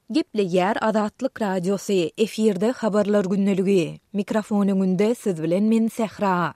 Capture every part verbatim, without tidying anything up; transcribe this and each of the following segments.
Gepleýär Azatlyk Radiosy, efirde Habarlar gündeligi. Mikrofon öňünde siz bilen men Sähra.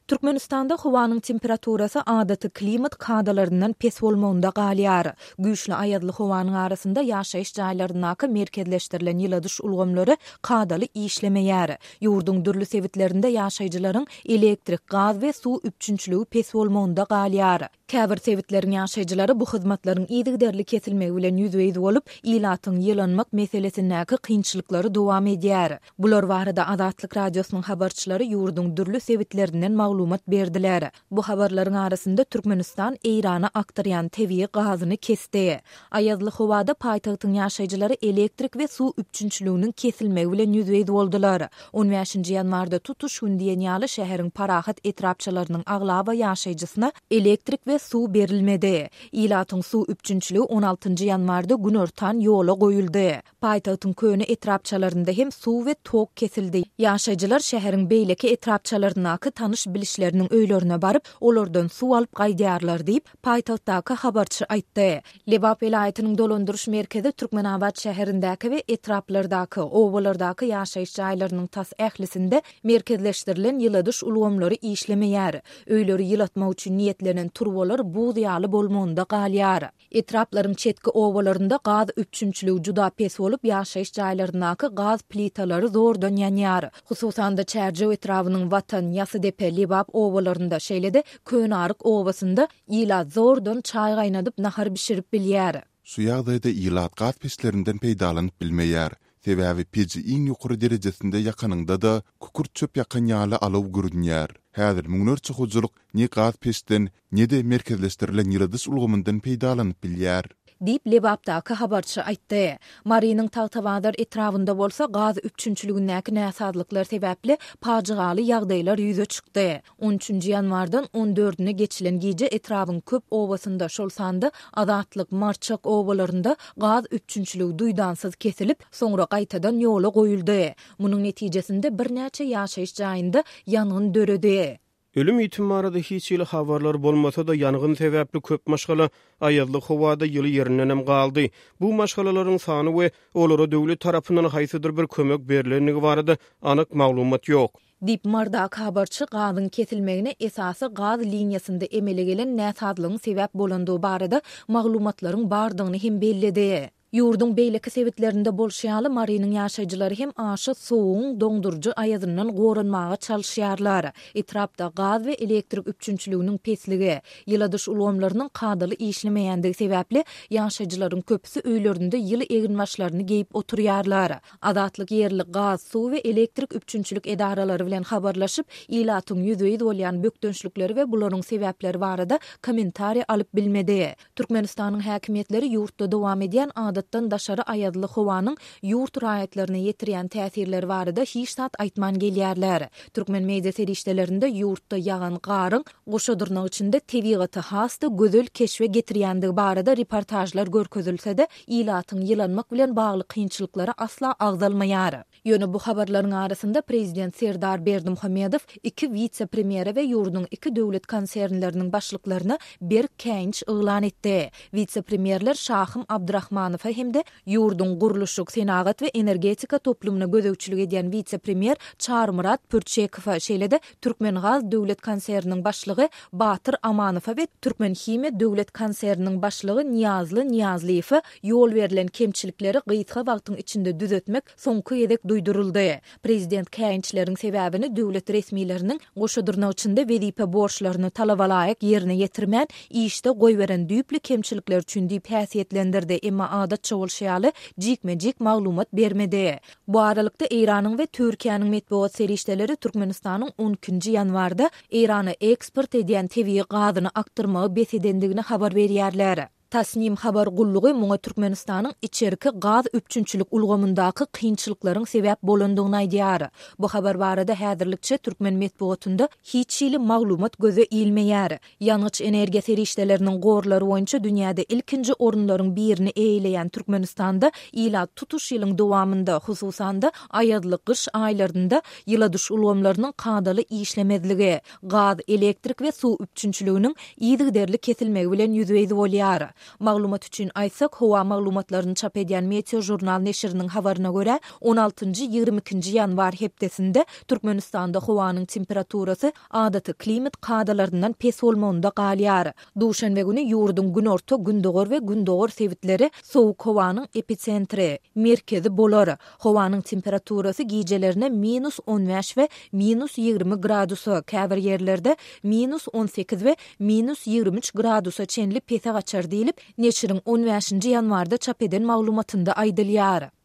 Türkmenistanda howanyň temperaturasy adaty klimat kadalaryndan pes bolmagynda galýar. Güýçli aýazly howanyň arasynda ýaşaýyş jaýlaryndaky merkezleşdirilen ýyladyş ulgamlary kadaly işlemeýär. Ýurduň dürli sebitlerinde ýaşaýjylaryň elektrik, gaz we suw üpjünçiligi pes bolmagynda galýar. Käbir sebitleriň ýaşaýjylary bu hyzmatlaryň yzygiderli kesilmegi bilen ýüzbe-ýüz bolup, ilatyň ýylanmak meselesindäki kynçylyklary dowam edýär. Bular barada Azatlyk Radiosynyň habarçylary ýurduň dürli sebitlerinden maglumat berdiler. Bu habarlaryň arasynda Türkmenistan Eýrana akdyrýan tebigy gazyny kesdi. Aýazly howada paýtagtyň ýaşaýjylary elektrik we suw üpjünçiliginiň kesilmegi bilen ýüzbe-ýüz boldular. On bäşinji ýanwarda tutuş gün diýen ýaly şäheriň Parahat etrapçalarynyň aglaba ýaşaýjysyna elektrik we suw berilmedi. Ilatyň suw üpjünçiligi on altynjy ýanwarda günortan ýola goýuldy. Paýtagtyň köne etrapçalarynda hem suw we tok kesildi. Ýaşaýjylar şäheriň beýleki etrapçalaryndaky tanyş-bilişleriniň öýlerine baryp, olardan suw alyp gaýdýarlar diýip, paýtagtdaky habarçy aýtdy. Lebap welaýatynyň dolandyryş merkezi Türkmenabat şäherindäki we etraplardaky, obalardaky ýaşaýyş jaýlarynyň tas ählisinde merkezleşdirilen ýyladyş ulgamlary işlemeýär. Öýleri ýylatmak üçin niýetlenen turbalar buz ýaly bolmagynda galýar. Etraplaryň çetki obalarynda gaz üpjünçiligi juda pes bolup, ýaşaýyş jaýlaryndaky gaz plitalary zordan ýanýar. Hususan-da, Çärjew etrabynyň Watan, Ýasydepe, Lebap obalarynda, şeýle-de Könearyk obasynda ilat zordan çaý gaýnadyp, nahar bişirip bilýär. Şu ýagdaýda ilat gaz peçlerinden peýdalanyp bilmeýär. Sebäbi peji iň ýokary derejesinde ýakanyňda-da, kükürt çöp ýakan ýaly alaw görünýär. Häzir müňlerçe hojalyk ne gaz peçden, ne-de merkezleşdirilen ýyladyş ulgamyndan peýdalanyp bilýär. Diýip, Lebapdaky habarçy aýtdy. Marynyň Tagtabazar etrabynda bolsa gaz üpjünçiligindäki näsazlyklar sebäpli pajygaly ýagdaýlar ýüze çykdy. On üçünji ýanwardan on dördüne geçilen gije etrabyň köp obasynda, şol sanda Azatlyk, Marçak obalarynda gaz üpjünçiligi duýdansyz kesilip, soňra gaýtadan ýola goýuldy. Munuň netijesinde birnäçe ýaşaýyş jaýynda ýangyn döredi. Ölüm-ýitim barada hiç hili habarlar bolmasa-da, ýangyn sebäpli köp maşgala aýazly howada ýyly ýerindenem galdy. Bu maşgalalaryň sany we olara döwlet tarapyndan haýsydyr bir kömek berlendigi barada anyk maglumat ýok. Diýip, Mardaky habarçy gazyň kesilmegine esasy gaz liniýasynda emele gelen näsazlygyň sebäp bolandygy barada maglumatlaryň bardygyny hem belledi. Ýurduň beýleki sebitlerinde bolşy ýaly, Marynyň ýaşaýjylary hem aşa sowugyň doňduryjy aýazyndan goranmaga çalyşýarlar. Etrapda gaz we elektrik üpjünçiliginiň pesligi, ýyladyş ulgamlarynyň kadaly işlemeýändigi sebäpli, ýaşaýjylaryň köpüsi öýlerinde ýyly eginbaşlaryny geýip oturýarlar. Azatlyk ýerli gaz, suw we elektrik üpjünçilik edaralary bilen habarlaşyp, ilatyň ýüzbe-ýüz bolýan bökdençlikleri we bularyň sebäpleri barada kommentariý alyp bilmedi. Türkmenistanyň häkimiýetleri ýurtda dowam edýän adatdan daşary aýazly howanyň ýurt raýatlaryna ýetirýän täsirleri barada hiç zat aýtman gelýärler. Türkmen media serişdelerinde ýurtda ýagan garyň goşa dyrnak içinde tebigaty has-da gözel keşbe getirýändigi barada reportažlar görkezilse-de, ilatyň ýylanmak bilen bagly kynçylyklary asla agzalmaýar. Ýöne bu habarlaryň arasynda prezident Serdar Berdimuhamedow iki wise-premýere we ýurduň iki döwlet konsernleriniň başlyklaryna berk käýinç yglan etdi. Wise-premýerler Şahym Abdurahmanowa hem-de ýurduň gurluşyk, senagat we energetika toplumyna gözegçilik edýän wise-premýer Çarymyrat Pürçekowa, şeýle-de Türkmengaz döwlet konserniniň başlygy Batyr Amanowa we Türkmenhimiýa döwlet konserniniň başlygy Nyýazly Nyýazlyýewe ýol berlen kemçilikleri gysga wagtyň içinde düzetmek soňky gezek duýduryldy. Prezident käýinçleriň sebäbini döwlet resmileriniň goşa dyrnak içinde wezipe borçlaryny talabalaýyk ýerine ýetirmän, işde goýberen düýpli kemçilikleri üçin diýip häsiýetlendirdi, emma adatça bolşy ýaly, jikme-jik maglumat bermedi. Bu aralykda, Eýranyň we Türkiýäniň metbugat serişdeleri Türkmenistanyň on ikinji ýanwarda Eýrana eksport edýän tebigy gazyny akdyrmagy bes edendigini habar berýärler. Tasnim habar gullugy muňa Türkmenistanyň içerki gaz üpjünçilik ulgamyndaky kynçylyklaryň sebäp bolandygyny aýdýar. Bu habar barada häzirlikçe türkmen metbugatynda hiç hili maglumat göze ilmeýär. Ýangyç-energiýa serişdeleriniň gorlary boýunça dünýäde ilkinji orunlaryň birini eýeleýän Türkmenistanda ilat tutuş ýylyň dowamynda, hususan-da, aýazly gyş aýlarynda ýyladyş ulgamlarynyň kadaly işlemezligi, gaz, elektrik we suw üpjünçiliginiň yzygiderli kesilmegi bilen ýüzbe-ýüz bolýar. Maglumat üçin aýtsak, howa maglumatlaryny çap edýän Meteožurnal neşiriniň habaryna görä, on altynjy, ýigrimi ikinji ýanwar hepdesinde Türkmenistanda howanyň temperaturasy adaty klimat kadalaryndan pes bolmagynda galýar. Duşenbe güni ýurduň günorta, gündogar we gündogar sebitleri sowuk howanyň episentri, merkezi, bolar. Howanyň temperaturasy gijelerine minus on bäş we minus ýigrimi gradusa, käbir ýerlerde minus on sekiz we minus ýigrimi üç gradusa çenli pese gaçar diýlip, neşiriň on bäşinji ýanwarda çap eden maglumatynda aýdylýar.